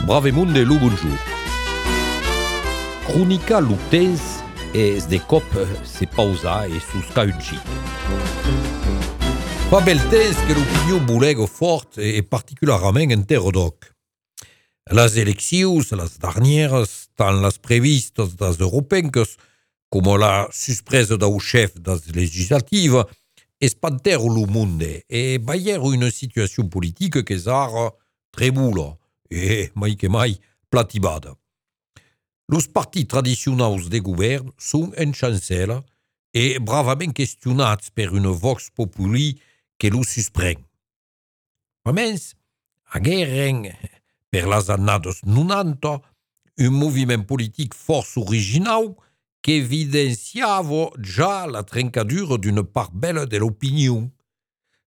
Bravemunde lo bonjour. Cronica lo temps es de cop se pausa e susca un cit. Fa bel temps que l'opinion bolega fort e particularment en terre d'oc. Las eleccions, las darnieres, tant las previstas das europenques, como la suspresa d'au chef das legislativa, espantèro lo monde e baièro una situacion politica que s'ara tremula e, mai que mai, platibada. Los partits tradicionals de govern son en chancela e bravament questionats per una vox populi que lo susprèn. A mens, agueren, per las annades 90, un moviment politic força original que evidenciava ja la trencadura d'una part bella de l'opinion.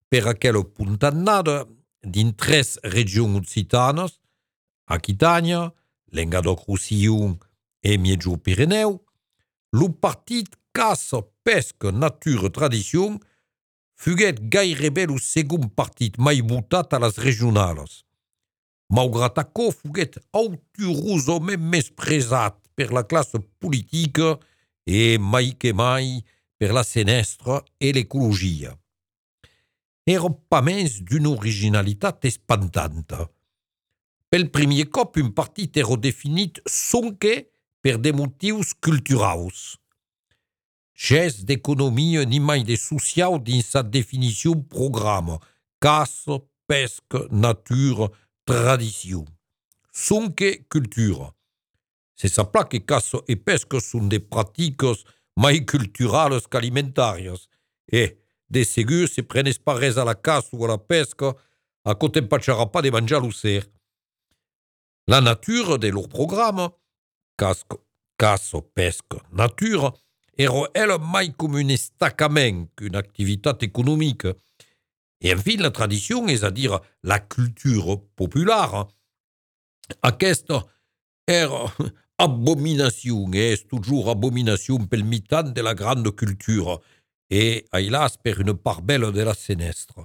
Per aquella puntannada, din 3 regions occitanes, Aquitània, Languedoc-Roussillon e Miejo-Pireneu, lo partit Caça, Pesca, Natura, Tradicion fuguet gairebé lo segon partit mai votat a las regionales. Malgrat aquò fuguet auturosament mespresat per la classe politica e mai que mai per la senestra e l'ecologia. Era pas mens d'una originalitat espantanta. Pel primer cop, un partit era definit sonque per de motius culturals. Gès d'economia ni mai de social dins sa definició programa, caça, pesca, natura, tradició. Sonque cultura. Se sapla que caça e pesca són de pratiques mai culturales qu'alimentàries e, de segur, se prenes pas res a la caça o a la pesca, a côté empatxarà pas de manjar l'ocer. La natura de leur programa, caça, pesca, natura, era ela mai com un estacament qu'una activitat economica. Et enfin, la tradició, és a dir, la cultura popular, aquesta era abominació, és toujours abominació pel mitant de la grande cultura, e, ailas, per una part bella de la senestra.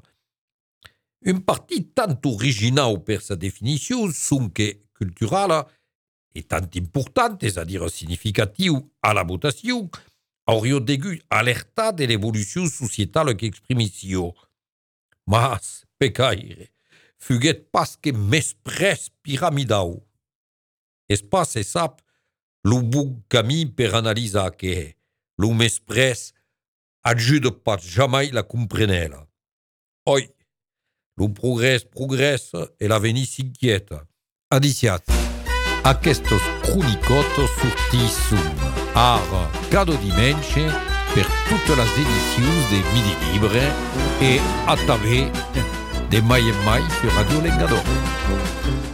Un partit tant original per sa definició, sonque culturala, e tant important, és a dir, significatiu a la votació, hauria degut alertar de l'evolució societala qu'exprimissió. Mas, pecaire, fuguet pas que mespres piramidau. Es pas se sap lo bon camí per analisar que lo mespres ajuda pas jamai la comprenela. Oi, lo progrés progressa e l'avenir s'inquieta. Adiciat, aquestos cronicotes sortisson ara cada dimenche per totes les edicions de Midi Libre e a través de mai en mai sur Radio Languedoc.